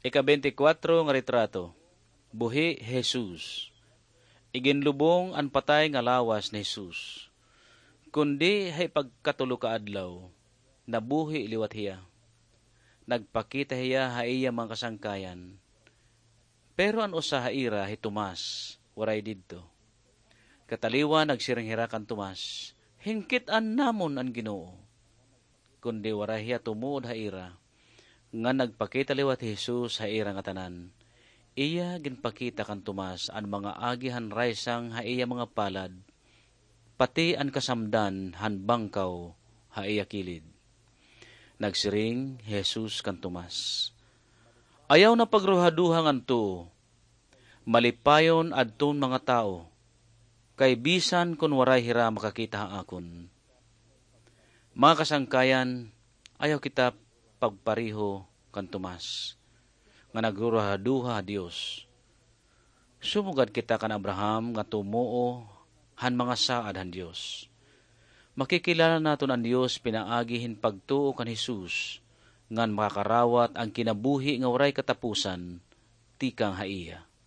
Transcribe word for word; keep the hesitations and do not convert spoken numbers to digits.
Ika-bente kwatro nga retrato. Buhi hi Jesus. Iginlubong an patay nga lawas ni Jesus. Kundi ha ikatulo ka adlaw, nabuhi liwat hiya. Nagpakita hiya ha iya mga kasangkayan. Pero an usa ha ira hi Tomas, waray didto. Kataliwan nagsiring hira kan Tomas, "Hingkit-an namon an Ginoo." Kundi waray hiya tumuod ha ira. Ngan nagpakita liwat hi Jesus ha ira ngatanan. Iya ginpakita kan Tomas an mga agi han raysang ha iya mga palad, pati an kasamdan han bangkaw ha iya kilid. Nagsiring hi Jesus kan Tomas, "Ayaw na pagruhaduha ngan tuo. Malipayon adton mga tawo, kay bisan kon waray hira makakita ha akon." Mga kasangkayan, ayaw kita pagpareho kan Tomas nga nagruruhaduha ha Dios. Sumugad kita kan Abraham nga tumuo han mga saad han Dios. Makikilala naton an Dios pinaagi hin pagtuo kan Jesus, ngan makakarawat an kinabuhi nga waray katapusan tikang ha iya.